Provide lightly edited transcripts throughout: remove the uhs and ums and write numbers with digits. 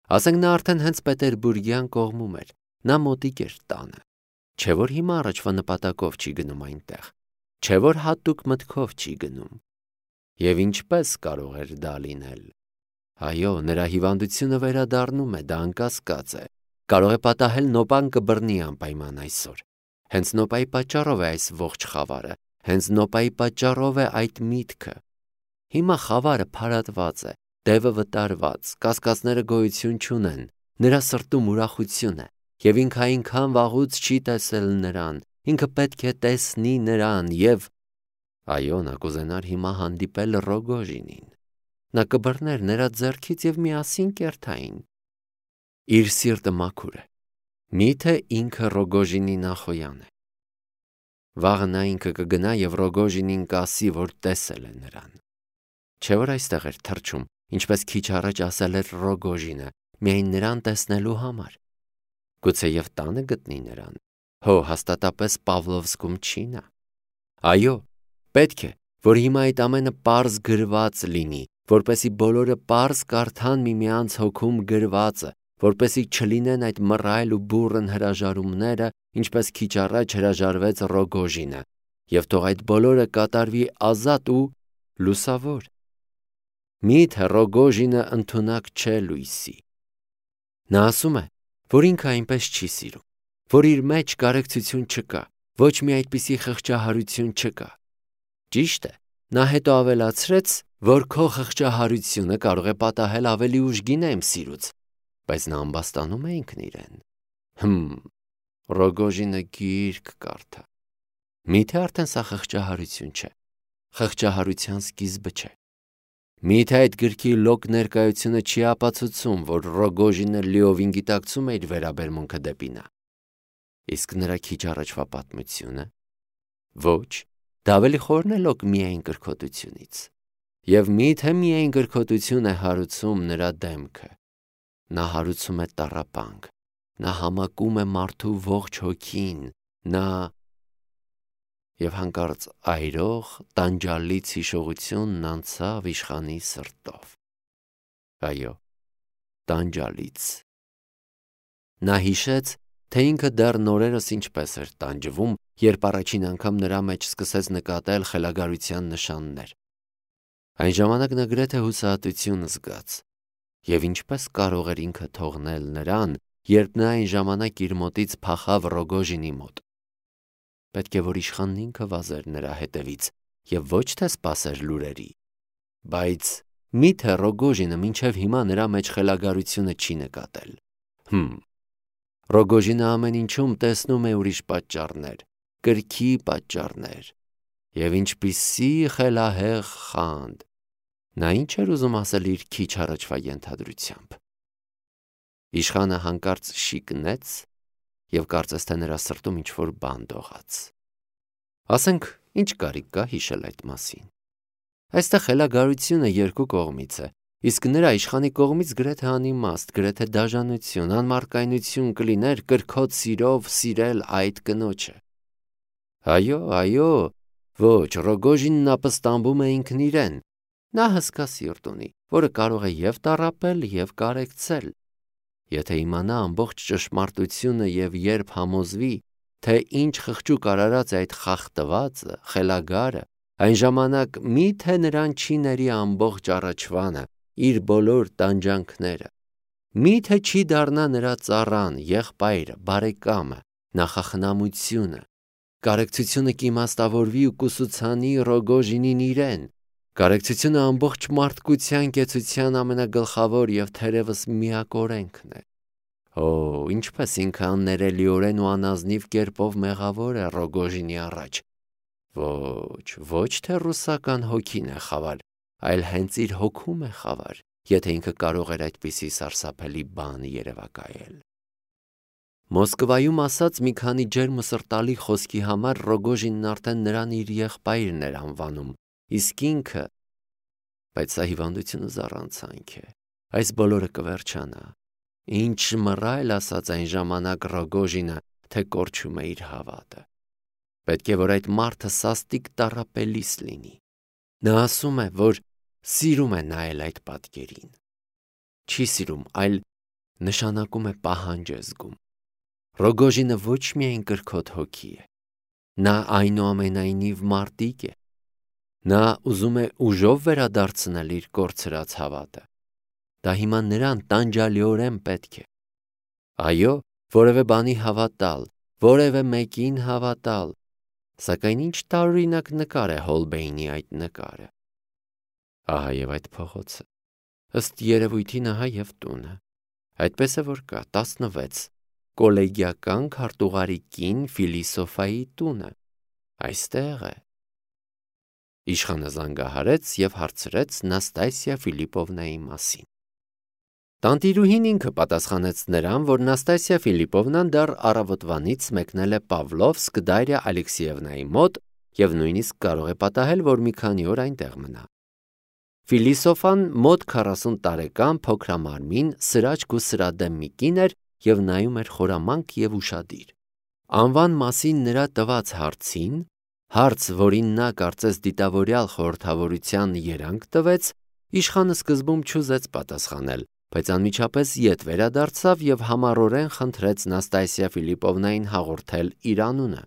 Ասենք նա արդեն հենց Պետերբուրգյան կողմում էր, նա մոտիկ էր տանը, չէ որ հիմա առաջվա նպատակով չի գնում այնտեղ, չէ որ հատուկ մտքով չի գնում։ Եվ ինչպես կարող էր դա լինել։ Այո, նրա հիվանդությունը վերադառնում է, դա անկասկած է, կարող է պատահել նոպան կբռնի անպայման այսօր, հենց նոպայի պատճառով է այս ողջ խավարը, հենց նոպայի պատճառով է այդ միտքը։ Հիմա խավարը փարատված է, դևը վտարված, կասկածները գոյություն չունեն, նրա սրտում ուրախություն է, և ինքը այնքան վաղուց չի տեսել նրան, ինքը պետք է տեսնի նրան, և այո, նա կուզենար հիմա հանդիպել Ռոգոժինին, նա կբռներ նրա ձեռքից և միասին կերթային։ Իր սիրտը մաքուր է, միթե ինքը Ռոգոժինի Նախոյան է։ Վաղը նա ինքը կգնա և Ռոգոժինին կասի, որ տեսել է նրան։ Չէ որ այստեղ էր թռչում, ինչպես քիչ առաջ ասել էր Ռոգոժինը, միայն նրան տեսնելու համար։ Գուցեև տանը գտնի նրան, հո հաստատապես Պավլովսկում չի նա։ Այո, պետք է, որ հիմա այդ ամենը պարզ գրված լինի, որպեսզի բոլորը պարզ կարդան միմյանց հոգում գրվածը, որպեսզի չլինեն այդ մռայլ ու բուռն հրաժարումները, ինչպես քիչ առաջ հրաժարվեց Ռոգոժինը, և թող այդ բոլորը կատարվի ազատ ու լուսավոր։ Միթե Ռոգոժինը ընդունակ չէ լույսի։ Նա ասում է, որ ինքը այնպես չի սիրում, որ իր մեջ կարեկցություն չկա, ոչ մի այդպիսի խղճահարություն չկա։ Ճիշտ է, նա հետո ավելացրեց, որ քո խղճահարությունը կարող է պատահել ավելի ուշ գինեմ սիրուց, բայց նա ամբաստանում է ինքն իրեն։ Ռոգոժինը գիրք կարդա։ Միթե արդեն սա խղճահարություն չէ, խղճահարության սկիզբը չէ։ Միթե այդ գրքի լոկ ներկայությունը չի ապացուցում, որ Ռոգոժինը լիովին գիտակցում է իր վերաբերմունքը դեպի նա։ Իսկ նրա քիչ առաջվա պատմությունը։ Ոչ, դա ավելի խորն է լոկ միայն կրքոտությունից։ Եվ միթե միայն կրքոտություն է հարուցում նրա դեմքը։ Նա հարուցում է տառապանք, նա համակում է մարդու ողջ հոգին, նա… Եվ հանկարծ այրող, տանջալից հիշողությունն անցավ իշխանի սրտով։ Այո, տանջալից։ Նա հիշեց, թե ինքը դեռ նորերս ինչպես էր տանջվում, երբ առաջին անգամ նրա մեջ սկսեց նկատել խելագարության նշաններ։ Այն ժամանակ նա գրեթե հուսահատություն զգաց։ Եվ ինչպես կարող էր ինքը թողնել նրան, երբ նա այն ժամանակ իր մոտից փախավ Ռոգոժինի մոտ։ Պետք է որ իշխանն ինքը վազեր նրա հետևից և ոչ թե սպասեր լուրերի։ Բայց միթե Ռոգոժինը մինչև հիմա նրա մեջ խելագարությունը չի նկատել։ Ռոգոժինը ամեն ինչում տեսնում է ուրիշ պատճառներ, կրքի պատճառներ։ Եվ ինչպիսի խելահեղ խանդ։ Նա ինչ էր ուզում ասել իր քիչ առաջվա ենթադրությամբ։ Իշխանը հանկարծ շիկնեց և կարծես թե նրա սրտում ինչ-որ բան դողաց։ Ասենք, ինչ կարիք կա հիշել այդ մասին։ Այստեղ խելագարությունը երկու կողմից է, իսկ նրա իշխանի կողմից գրեթե անիմաստ, գրեթե դաժանություն, անմարկայնություն կլիներ կրքոտ սիրով սիրել այդ կնոջը։ Այո, ոչ, Ռոգոժինն ապստամբում է ինքն իրեն։ Նա հսկա սիրտ ունի, որը կարող է և տառապել, և կարեկցել։ Եթե իմանա ամբողջ ճշմարտությունը և երբ համոզվի, թե ինչ խղճուկ արարած է այդ խախտվածը, խելագարը, այն ժամանակ միթե նրան չի ների ամբողջ առաջվանը, իր բոլոր տանջանքները։ Միթե չի դառնա նրա ծառան, եղբայրը, բարեկամը, նախախնամությունը։ Կարեկցությունը կիմաստավորվի ու կուսուցանի Ռոգոժինին իրեն։ Կարեկցությունը ամբողջ մարդկության կեցության ամենագլխավոր և թերևս միակ օրենքն է։ Ինչպես ինքը աններելիորեն ու անազնիվ կերպով մեղավոր է Ռոգոժինի առաջ։ Ոչ թե ռուսական հոգին է խավար, այլ հենց իր հոգում է խավար, եթե ինքը կարող էր այդպիսի սարսափելի բան երևակայել։ Մոսկվայում ասած մի քանի ջերմ ու սրտալի խոսքի համար Ռոգոժինն արդեն նրան իր եղբայրն էր անվանում, իսկ ինքը… Բայց սա հիվանդությունը զառանցանք է, այս բոլորը կվերջանա։ Ինչ մռայլ ասաց այն ժամանակ Ռոգոժինը, թե կորչում է իր հավատը։ Պետք է որ այդ մարդը սաստիկ տառապելիս լինի։ Նա ասում է, որ սիրում է նայել այդ պատկերին։ Չի սիրում, այլ նշանակում է պահանջ է զգում։ Ռոգոժինը ոչ միայն կրքոտ հոգի է, նա այնուամենայնիվ մարտիկ է։ Նա ուզում է ուժով վերադարձնել իր կորցրած հավատը։ Դա հիմա նրան տանջալիորեն պետք է։ Այո, որևէ բանի հավատալ, որևէ մեկին հավատալ, սակայն ինչ տարօրինակ նկար է Հոլբեյնի այդ նկարը։ Ահա եւ այդ փողոցը, ըստ երևույթի ահա եւ տունը, այդպես է որ կա 16 կոլեգիական քարտուղարի կին Ֆիլիսոֆայի տունը, այստեղ է։ Իշխանը զանգահարեց եւ հարցրեց Նաստասիա Ֆիլիպովնայի մասին։ Տանտիրուհին ինքը պատասխանեց նրան, որ Նաստասիա Ֆիլիպովնան դեռ առավոտվանից մեկնել է Պավլովսկ Դարիա Ալեքսեևնայի մոտ եւ նույնիսկ կարող է պատահել, որ մի քանի օր այնտեղ մնա։ Ֆիլիսոֆան մոտ 40 տարեկան փոքրամարմին, սրաճք ու սրադեմ մի կին էր եւ նայում էր խորամանկ եւ ուշադիր։ Անվան մասին նրա տված հարցին, հարց, որին նա կարծես դիտավորյալ խորհրդավորության երանգ տվեց, իշխանը սկզբում չուզեց պատասխանել, բայց անմիջապես ետ վերադարձավ եւ համառորեն խնդրեց Նաստասիա Ֆիլիպովնային հաղորդել իր անունը։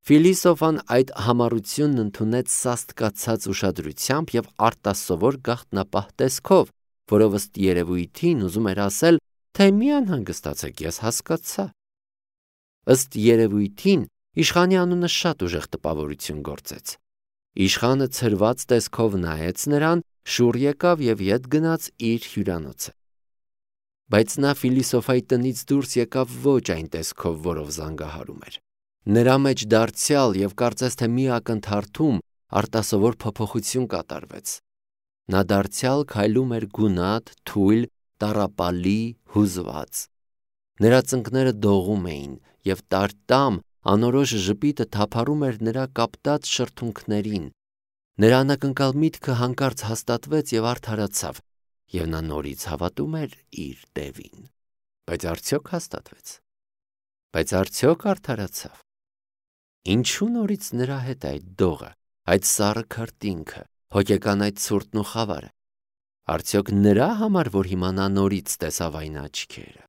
Ֆիլիսոֆան այդ համառությունն ընդունեց սաստկացած ուշադրությամբ եւ արտասովոր գաղտնապահ տեսքով, որով ըստ երևույթին ուզում էր ասել, թե մի անհանգստացեք, ես հասկացա։ Ըստ երևույթին իշխանի անունը շատ ուժեղ տպավորություն գործեց։ Իշխանը ցրված տեսքով նայեց նրան, շուռ եկավ եւ ետ գնաց իր հյուրանոցը։ Բայց նա Ֆիլիսոֆայի տնից դուրս եկավ ոչ այն տեսքով, որով զանգահարում էր։ Նրա մեջ դարձյալ եւ կարծես թե մի ակնթարթում արտասովոր փոփոխություն կատարվեց։ Նա դարձյալ քայլում էր գունատ, թույլ, տառապալի, հուզված։ Նրա ծնկները դողում էին եւ տարտամ անորոշ ժպիտը թափառում էր նրա կապտած շրթունքներին։ Նրա անակնկալ միտքը հանկարծ հաստատվեց եւ արդարացավ, եւ նա նորից հավատում էր իր տևին։ Բայց արդյոք հաստատվեց։ Բայց արդյոք արդարացավ։ Ինչու նորից նրա հետ այդ դողը, այդ սառը քրտինքը, հոգեկան այդ ցուրտն ու խավարը։ Արդյոք նրա համար, որ հիմա նա նորից տեսավ այն աչքերը։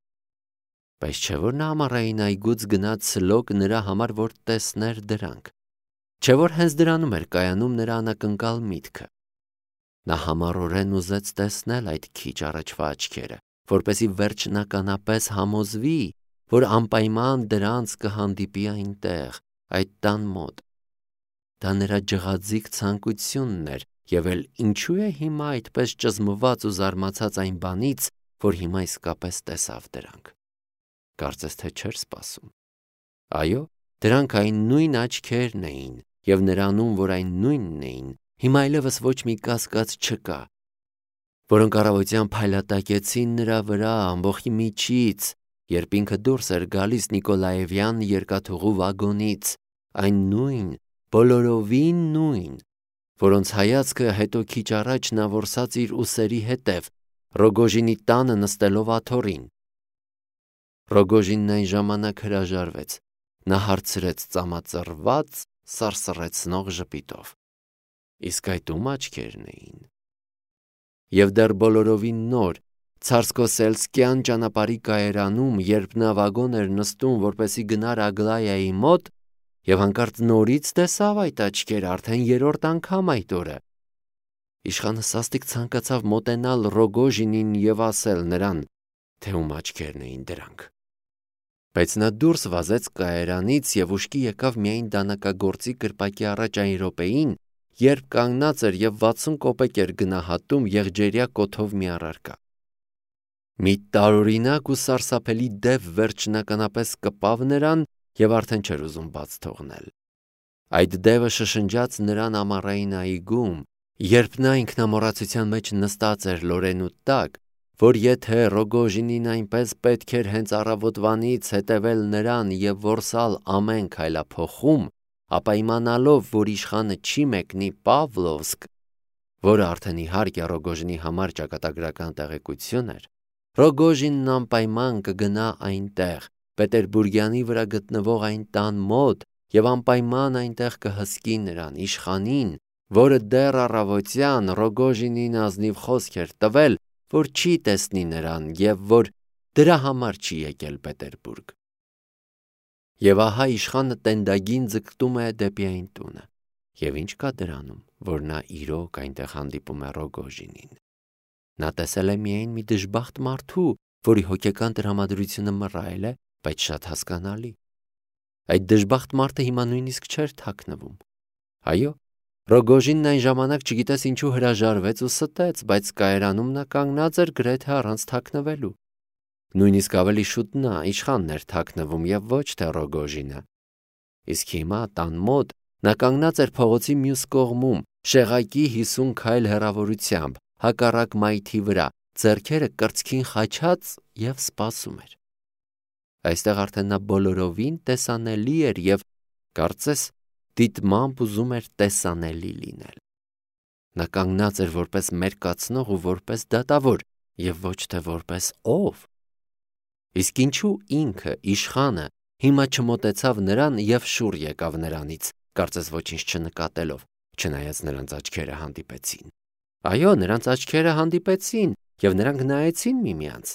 Բայց չէ՞ որ նա ամառային այգուց գնաց սլոկ նրա համար, որ տեսներ դրանք։ Չէ՞ որ հենց դրանում էր կայանում նրա անակնկալ միտքը։ Նա համառորեն ուզեց տեսնել այդ քիչ առաջվա աչքերը, որպեսզի վերջնականապես համոզվի, որ անպայման դրանց կհանդիպի այնտեղ, այդ տան մոտ։ Դա նրա ջղաձիգ ցանկությունն էր, եւ էլ ինչու է հիմա այդպես ճզմված ու զարմացած այն բանից, որ հիմա իսկապես տեսավ դրանք։ Կարծես թե չէր սպասում։ Այո, դրանք այն նույն աչքերն էին, եւ նրանում, որ այն նույնն էին, հիմա այլևս ոչ մի կասկած չկա, որոնք առավոտյան փայլատակեցին նրա վրա ամբողջի միջից, երբ ինքը դուրս էր գալիս Նիկոլաևյան երկաթուղու վագոնից, այն նույն, բոլորովին նույն, որոնց հայացքը հետո քիչ առաջ նա որսած իր ուսերի հետև, Ռոգոժինի տանը նստելով աթոռին։ Ռոգոժինն այն ժամանակ հրաժարվեց, նա հարցրեց ծամածռված, սարսռեցնող ժպիտով. Իսկ այդ ում աչքերն էին։ Եվ դեռ բոլորովին նոր, Ցարսկոսելսկյան ճանապարհի կայարանում, երբ նա վագոն էր նստում, որպեսի գնար Ագլայայի մոտ, եւ հանկարծ նորից տեսավ այդ աչքերը արդեն երրորդ անգամ այդ օրը։ Իշխանը սաստիկ ցանկացավ մոտենալ Ռոգոժինին եւ ասել նրան, թե ում աչքերն էին դրանք։ Բայց նա դուրս վազեց կայարանից եւ ուշքի եկավ միայն դանակագործի կրպակի առաջ այն րոպեին, երբ կանգնած էր եւ 60 կոպեկ էր գնահատում եղջերյա կոթով մի առարկա։ Մի տարօրինակ ու սարսափելի դև վերջնականապես կպավ նրան եւ արդեն չէր ուզում բաց թողնել։ Այդ դևը շշնջաց նրան ամառային այգում, երբ նա ինքնամոռացության մեջ նստած էր լորենու տակ, որ եթե Ռոգոժինին այնպես պետք էր հենց առավոտվանից հետևել նրան եւ որսալ ամեն քայլափոխում, ապա իմանալով, որ իշխանը չի մեկնի Պավլովսկ, որը արդեն իհարկե Ռոգոժինի համար ճակատագրական տեղեկություն էր, Ռոգոժինն անպայման կգնա այնտեղ, Պետերբուրգյանի վրա գտնվող այն տան մոտ եւ անպայման այնտեղ կհսկի նրան, իշխանին, որը դեռ առավոտյան Ռոգոժինին ազնիվ խոսք էր տվել, որ չի տեսնի նրան եւ որ դրա համար չի եկել Պետերբուրգ։ Եվ ահա իշխանը տենդագին ձգտում է դեպի այն տունը։ Եվ ինչ կա դրանում, որ նա իրոք այնտեղ հանդիպում է Ռոգոժինին։ Նա տեսել է միայն մի դժբախտ մարդու, որի հոգեկան տրամադրությունը մռայլ է, բայց շատ հասկանալի։ Այդ դժբախտ մարդը հիմա նույնիսկ չէր թաքնվում։ Այո, Ռոգոժինն այն ժամանակ չգիտես ինչու հրաժարվեց ու ստեց, բայց կայարանում նա կանգնած էր գրեթե առանց թաքնվելու։ Նույնիսկ ավելի շուտ նա իշխանն էր թաքնվում եւ ոչ թե Ռոգոժինը։ Իսկ հիմա տան մոտ նա կանգնած էր փողոցի մյուս կողմում, շեղակի 50 քայլ հեռավորությամբ, հակառակ մայթի վրա, ձեռքերը կրծքին խաչած եւ սպասում էր։ Այստեղ արդեն նա բոլորովին տեսանելի էր եւ կարծես դիտմամբ ուզում էր տեսանելի լինել։ Նա կանգնած էր որպես մերկացնող ու որպես դատավոր եւ ոչ թե որպես ով։ Իսկ ինչու ինքը իշխանը հիմա չմոտեցավ նրան եւ շուռ եկավ նրանից, կարծես ոչինչ չնկատելով, չնայած նրանց աչքերը հանդիպեցին։ Այո, նրանց աչքերը հանդիպեցին եւ նրանք նայեցին միմյանց։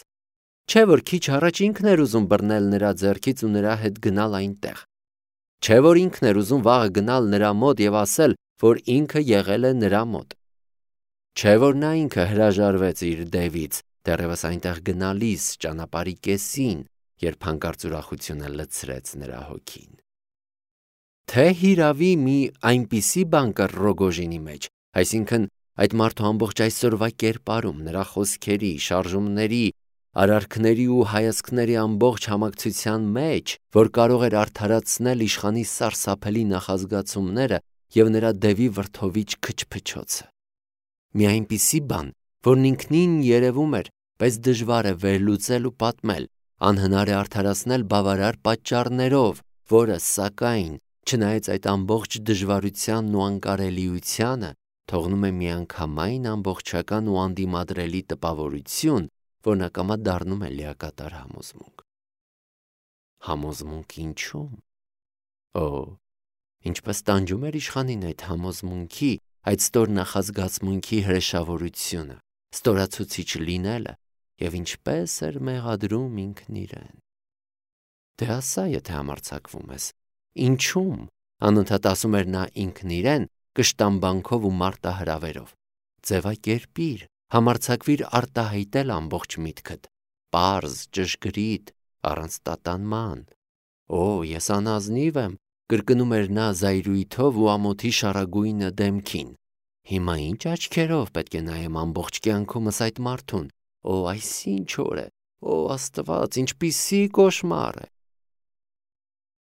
Չէ՞ որ քիչ առաջ ինքն էր ուզում բռնել նրա ձեռքից ու նրա հետ գնալ այնտեղ։ Չէ՞ որ ինքն էր ուզում վաղը գնալ նրա մոտ եւ ասել, որ ինքը եղել է նրա մոտ։ Չէ՞ որ նա ինքը հրաժարվեց իր դևից, դեռևս այնտեղ գնալիս ճանապարհի կեսին, երբ հանկարծ ուրախությունը լցրեց նրա հոգին։ Թե հիրավի մի այնպիսի բան կար Ռոգոժինի մեջ, այսինքն այդ մարդու ամբողջ այսօրվա կերպարում, նրա խոսքերի, շարժումների, արարքների ու հայացքների ամբողջ համակցության մեջ, որ կարող էր արդարացնել իշխանի սարսափելի նախազգացումները եւ նրա դևի վրդովիչ քչփչոցը։ Մի այնպիսի բան, որն ինքնին երևում էր, բայց դժվար է վերլուծել ու պատմել, անհնար է արդարացնել բավարար պատճառներով, որը, սակայն, չնայած այդ ամբողջ դժվարությանն ու անկարելիությանը, թողնում է միանգամայն ամբողջական ու անդիմադրելի տպավորություն, որն ակամա դառնում է լիակատար համոզմունք։ Համոզմունք ինչու՞մ։ Օ, ինչպես տանջում էր իշխանին այդ համոզմունքի, այդ ստոր նախազգացմունքի հրեշավորությունը, ստորացուցիչ լինելը, եւ ինչպես էր մեղադրում ինքն իրեն։ Դե ասա, եթե համարձակվում ես, ինչու՞մ, անընդհատ ասում էր նա ինքն իրեն, կշտամբանքով ու մարտահրավերով։ Ձևակերպիր, համարձակվիր արտահայտել ամբողջ միտքդ, պարզ, ճշգրիտ, առանց տատանման։ Օ, ես անազնիվ եմ, կրկնում էր նա զայրույթով ու ամոթի շարագույնը դեմքին։ Հիմա ինչ աչքերով պետք է նայեմ ամբողջ կյանքումս այդ մարդուն։ Օ, այսինչ օր է, օ Աստված, ինչպիսի կոշմար է։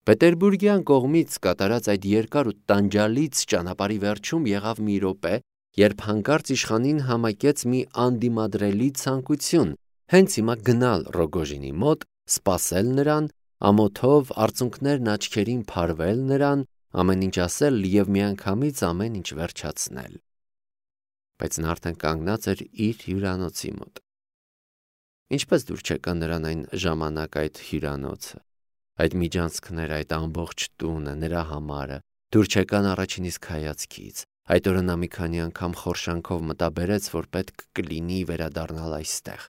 Պետերբուրգյան կողմից կատարած այդ երկար ու տանջալից ճանապարհի վերջում եղավ մի րոպե, երբ հանկարծ իշխանին համակեց մի անդիմադրելի ցանկություն, հենց հիմա գնալ Ռոգոժինի մոտ, սպասել նրան, ամոթով արցունքներն աչքերին փարվել նրան, ամեն ինչ ասել եւ միանգամից ամեն ինչ վերջացնել։ Բայց նա արդեն կանգնած էր իր հյուրանոցի մոտ։ Ինչպես դուր չեկան նրան այն ժամանակ այդ հյուրանոցը, այդ միջանցքները, այդ ամբողջ տունը, նրա համարը, դուր չեկան առաջին իսկ հայացքից։ Այդ օրը նա մի քանի անգամ խորշանքով մտաբերեց, որ պետք կլինի վերադառնալ այստեղ։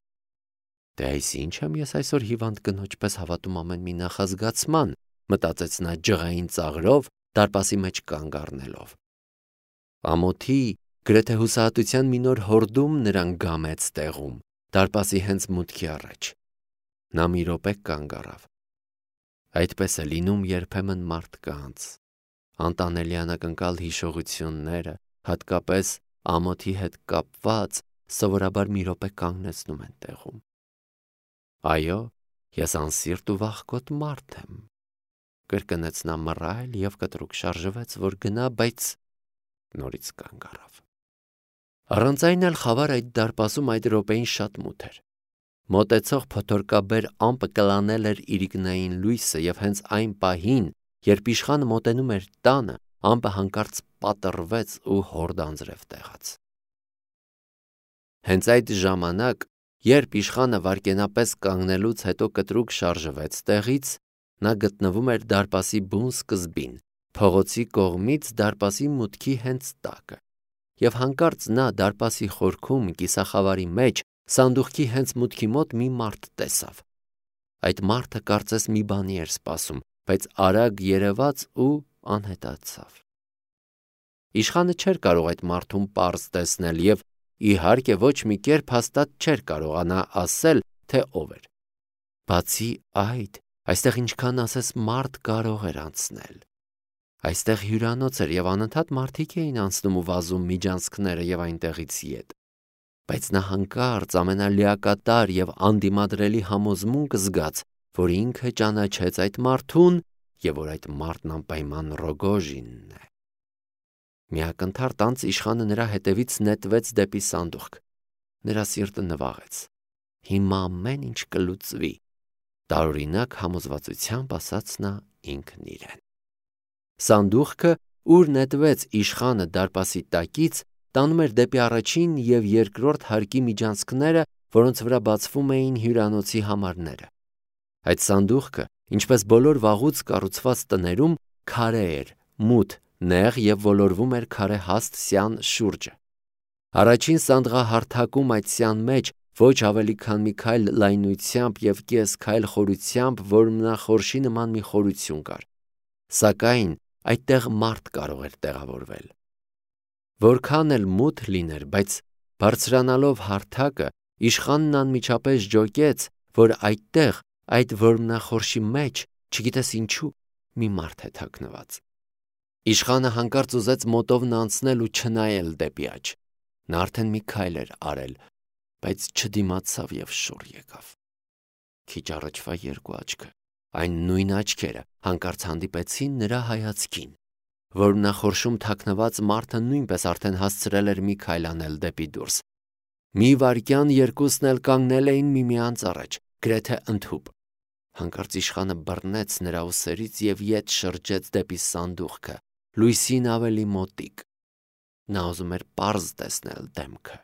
Դե այս ինչ եմ ես այսօր հիվանդ կնոջ պես հավատում ամեն մի նախազգացման, մտածեց նա ջղային ծաղրով, դարպասի մեջ կանգ առնելով։ Ամոթի, գրեթե հուսահատության մի նոր հորդում նրան գամեց տեղում, դարպասի հենց մուտքի առաջ։ Նա մի րոպե կանգ առավ։ Այդպես է լինում երբեմն մարդկանց։ Անտանելի անակնկալ հիշողությունները, հատկապես ամոթի հետ կապված, սովորաբար մի րոպե կանգնեցնում են տեղում։ Այո, ես անսիրտ ու վախկոտ մարդ եմ, կրկնեց նա մռայլ եւ կտրուկ շարժվեց, որ գնա, բայց նորից կանգ առավ։ Առանց այն էլ խավար այդ դարպասում այդ րոպեին շատ մութ էր։ Մոտեցող փոթորկաբեր ամպը կլանել էր իրիկնային լույսը եւ հենց այն պահին, երբ իշխանը մոտենում էր տանը, ամպը հանկարծ պատռվեց ու հորդ անձրև տեղաց։ Հենց այդ ժամանակ, երբ իշխանը վայրկենապես կանգնելուց հետո կտրուկ շարժվեց տեղից, նա գտնվում էր դարպասի բուն սկզբին, փողոցի կողմից դարպասի մուտքի հենց տակը։ Եվ հանկարծ նա դարպասի խորքում կիսախավարի մեջ սանդուղքի հենց մուտքի մոտ մի մարդ տեսավ, Այդ մարդը կարծես մի բանի էր սպասում, բայց արագ երևաց ու անհետացավ։ Իշխանը չէր կարող այդ մարդուն պարզ տեսնել և իհարկե ոչ մի կերպ հաստատ չէր կարողանա ասել, թե ով էր։ Բացի այդ, այստեղ ինչքան ասես մարդ կարող էր անցնել։ Այստեղ հյուրանոց էր և անընդհատ մարդիկ էին անցնում ու վազում միջանցքները և այնտեղից ետ։ Բայց նա հանկարծ ամենալիակատար և անդիմադրելի համոզմունք զգաց, որ ինքը ճանաչեց այդ մարդուն և որ այդ մարդն անպայման Ռոգոժինն է։ Մի ակնթարթ անց իշխանը նրա հետևից նետվեց դեպի սանդուղք։ Նրա սիրտը նվաղեց։ Հիմա ամեն ինչ կլուծվի, տարօրինակ համոզվածությամբ ասաց նա ինքն իրեն։ Սանդուղքը, ուր նետվեց իշխանը դարպասի տակից, տանում էր դեպի առաջին և երկրորդ հարկի միջանցքները, որոնց վրա բացվում էին հյուրանոցի համարները։ Այդ սանդուղքը, ինչպես բոլոր վաղուց կառուցված տներում, քարե էր, մութ, նեղ և ոլորվում էր քարե հաստ սյան շուրջը։ Առաջին սանդղահարթակում այդ սյան մեջ ոչ ավելի քան մի քայլ լայնությամբ և կես քայլ խորությամբ որմնախորշի նման մի խորություն կար։ Սակայն այդտեղ մարդ կարող էր տեղավորվել։ Որքան էլ մութ լիներ, բայց բարձրանալով հարթակը, իշխանն անմիջապես ջոկեց, որ այդտեղ, այդ որմնախորշի մեջ, չգիտես ինչու, մի մարդ է թաքնված։ Իշխանը հանկարծ ուզեց մոտովն անցնել ու չնայել դեպի աջ։ Նա արդեն մի քայլ էր արել, բայց չդիմացավ և շուռ եկավ։ Քիչ առաջվա երկու աչքը, այն նույն աչքերը, հանկարծ հանդիպեցին նրա հայացքին։ Որմնախորշում թաքնված մարդը նույնպես արդեն հասցրել էր մի քայլ անել դեպի դուրս։ Մի վայրկյան երկուսն էլ կանգնել էին միմյանց առաջ, գրեթե ընդհուպ։ Հանկարծ իշխանը բռնեց նրա ուսերից և ետ շրջեց դեպի սանդուղքը, լույսին ավելի մոտիկ։ Նա ուզում էր պարզ տեսնել դեմքը։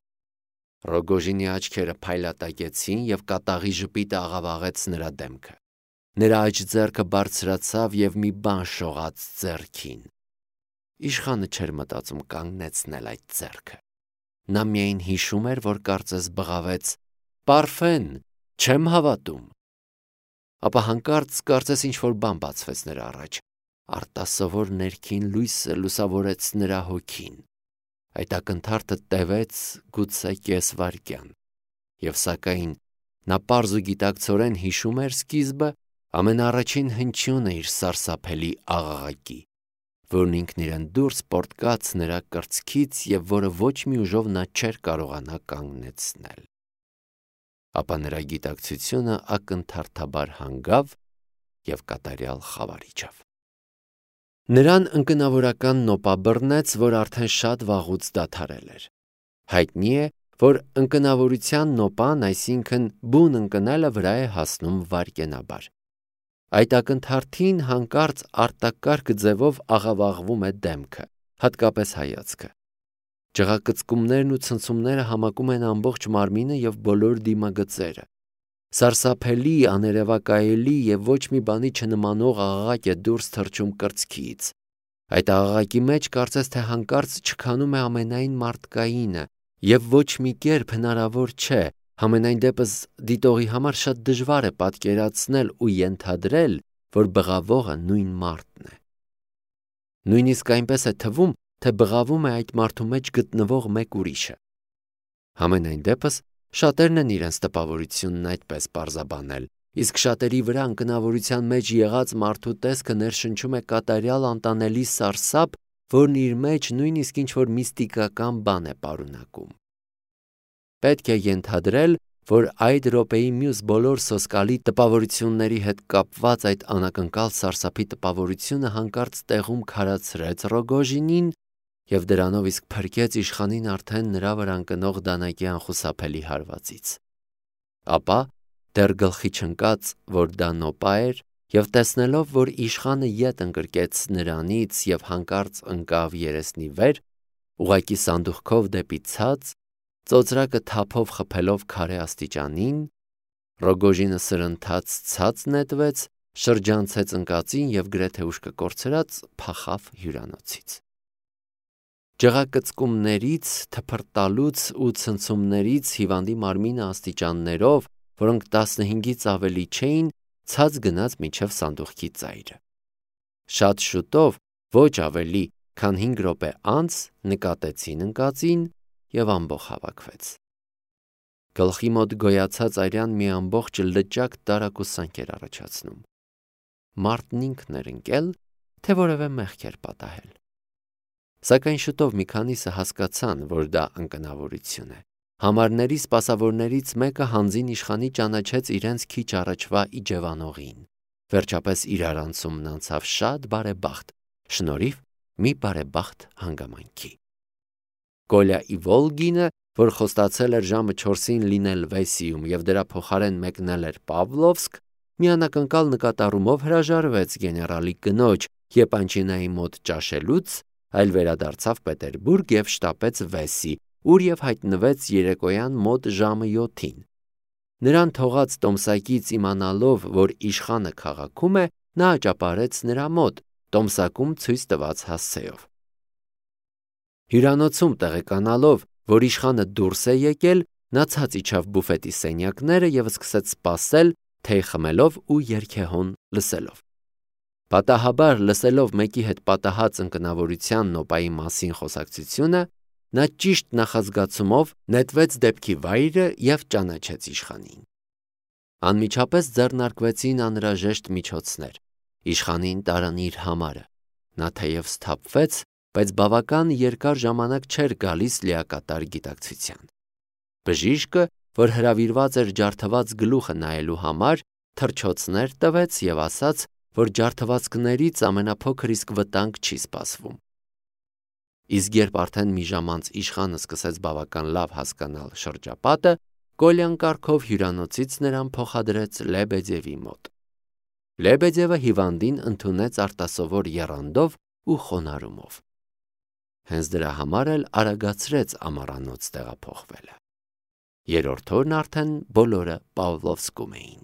Ռոգոժինի աչքերը փայլատակեցին և կատաղի ժպիտը աղավաղեց նրա դեմքը։ Նրա աջ ձեռքը բարձրացավ և մի բան շողաց ձեռքին։ Իշխանը չէր մտածում կանգնեցնել այդ ձեռքը։ Նա միայն հիշում էր, որ կարծես բղավեց. «Պարֆեն, չեմ հավատում»։ Ապա հանկարծ կարծես ինչ-որ բան բացվեց նրա առաջ։ Արտասովոր ներքին լույսը լուսավորեց նրա հոգին։ Այդ ակնթարթը տևեց գուցե կես վայրկյան։ Եվ սակայն նա պարզ ու գիտակցորեն հիշում էր սկիզբը, ամենաառաջին հնչյունը իր սարսափելի աղաղակի, որն ինքն իրեն դուրս պոռթկաց նրա կրծքից և որը ոչ մի ուժով նա չէր կարողանա կանգնեցնել։ Ապա նրա գիտակցությունը ակնթարթաբար հանգավ և կատարյալ խավար իջավ։ Նրան ընկնավորական նոպա բռնեց, որ արդեն շատ վաղուց դադարել էր։ Հայտնի է, որ ընկնավորության նոպան, այսինքն բուն ընկնելը վրա է հասնում վայրկենաբար։ Այդ ակնթարթին հանկարծ արտակարգ ձևով աղավաղվում է դեմքը, հատկապես հայացքը։ Ջղակծկումներն ու ցնցումները համակում են ամբողջ մարմինը և բոլոր դիմագծերը։ Սարսափելի, աներևակայելի և ոչ մի բանի չնմանող աղաղակ է դուրս թռչում կրծքից։ Այդ աղաղակի մեջ կարծես թե հանկարծ չքանում է ամենայն մարդկայինը և ոչ մի կերպ հնարավոր չէ, համենայն դեպս դիտողի համար շատ դժվար է պատկերացնել ու ենթադրել, որ բղավողը նույն մարդն է։ Նույնիսկ այնպես է թվում, թե բղավում է այդ մարդու մեջ գտնվող մեկ ուրիշը։ Համենայն դեպս շատերն են իրենց տպավորությունն այդպես պարզաբանել, իսկ շատերի վրա ընկնավորության մեջ եղած մարդու տեսքը ներշնչում է կատարյալ անտանելի սարսափ, որն իր մեջ նույնիսկ ինչ-որ միստիկական բան է պարունակում։ Պետք է ենթադրել, որ այդ րոպեի մյուս բոլոր սոսկալի տպավորությունների հետ կապված այդ անակնկալ սարսափի տպավորությունը հանկարծ տեղում քարացրեց Ռոգոժինին և դրանով իսկ փրկեց իշխանին արդեն նրա վրա ընկնող դանակի անխուսափելի հարվածից։ Ապա, դեռ գլխի չընկած, որ դա նոպա էր, և տեսնելով, որ իշխանը ետ ընկրկեց նրանից և հանկարծ ընկավ երեսնի վեր, ուղղակի սանդուղքով դեպի ցած, ծոծրակը թափով խփելով քարե աստիճանին, Ռոգոժինը սրընթաց ցած նետվեց, շրջանցեց ընկածին և գրեթե ուշքը կորցրած փախավ հյուրանոցից։ Ջղակծկումներից, թփրտալուց ու ցնցումներից հիվանդի մարմինը աստիճաններով, որոնք 15-ից ավելի չէին, ցած գնաց մինչև սանդուղքի ծայրը։ Շատ շուտով, ոչ ավելի, քան 5 րոպե անց նկատեցին ընկածին և ամբոխ հավաքվեց։ Գլխի մոտ գոյացած արյան մի ամբողջ լճակ տարակուսանք էր առաջացնում։ Մարդն ինքն էր ընկել, թե որևէ մեղք էր պատահել։ Սակայն շուտով մի քանիսը հասկացան, որ դա ընկնավորություն է։ Համարների սպասավորներից մեկը հանձին իշխանի ճանաչեց իրենց քիչ առաջվա իջևանողին։ Վերջապես իրար անցումն անցավ շատ բարեբախտ, շնորհիվ մի բարեբախտ հանգամանքի։ Կոլյա Իվոլգինը, որ խոստացել էր ժամը 4-ին լինել Վեսիում և դրա փոխարեն մեկնել էր Պավլովսկ, մի անակնկալ նկատառումով հրաժարվեց գեներալի կնոջ Եպանչինայի մոտ ճաշելուց, այլ վերադարձավ Պետերբուրգ և շտապեց Վեսի, ուր և հայտնվեց երեկոյան մոտ ժամը 7-ին։ Նրան թողած տոմսակից իմանալով, որ իշխանը քաղաքում է, նա աճապարեց նրա մոտ, տոմսակում ցույց տված հասցեով։ Հյուրանոցում տեղեկանալով, որ իշխանը դուրս է եկել, նա ցած իջավ բուֆետի սենյակները և սկսեց սպասել, թեյ խմելով ու երգեհոն լսելով։ Պատահաբար լսելով մեկի հետ պատահած ընկնավորության նոպայի մասին խոսակցությունը, նա ճիշտ նախազգացումով նետվեց դեպքի վայրը և ճանաչեց իշխանին։ Անմիջապես ձեռնարկվեցին անհրաժեշտ միջոցներ։ Իշխանին տարան իր համարը։ Նա թեև սթափվեց, բայց բավական երկար ժամանակ չէր գալիս լիակատար գիտակցության։ Բժիշկը, որ հրավիրված էր ջարդված գլուխը նայելու համար, թռչոցներ տվեց և ասաց, որ ջարդվածքներից ամենափոքր իսկ վտանգ չի սպասվում։ Իսկ երբ արդեն մի ժամ անց իշխանը սկսեց բավական լավ հասկանալ շրջապատը, Կոլյան կարգով հյուրանոցից նրան փոխադրեց Լեբեդևի մոտ։ Լեբեդևը հիվանդին ընդունեց արտասովոր եռանդով ու խոնարհումով։ Հենց դրա համար էլ արագացրեց ամառանոց տեղափոխվելը։ Երրորդ օրն արդեն բոլորը Պավլովսկում էին։